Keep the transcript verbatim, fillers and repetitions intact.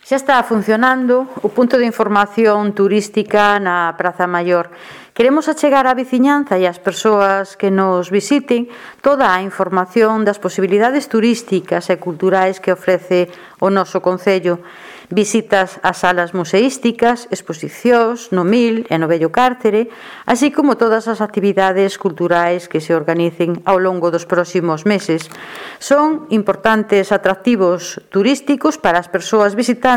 Xa está funcionando o punto de información turística na Praza Maior. Queremos achegar á veciñanza e ás persoas que nos visiten toda a información das posibilidades turísticas e culturais que ofrece o noso concello. Visitas ás salas museísticas, exposicións no Mil e no Vello Cárcere, así como todas as actividades culturais que se organicen ao longo dos próximos meses. Son importantes atractivos turísticos para as persoas visitantes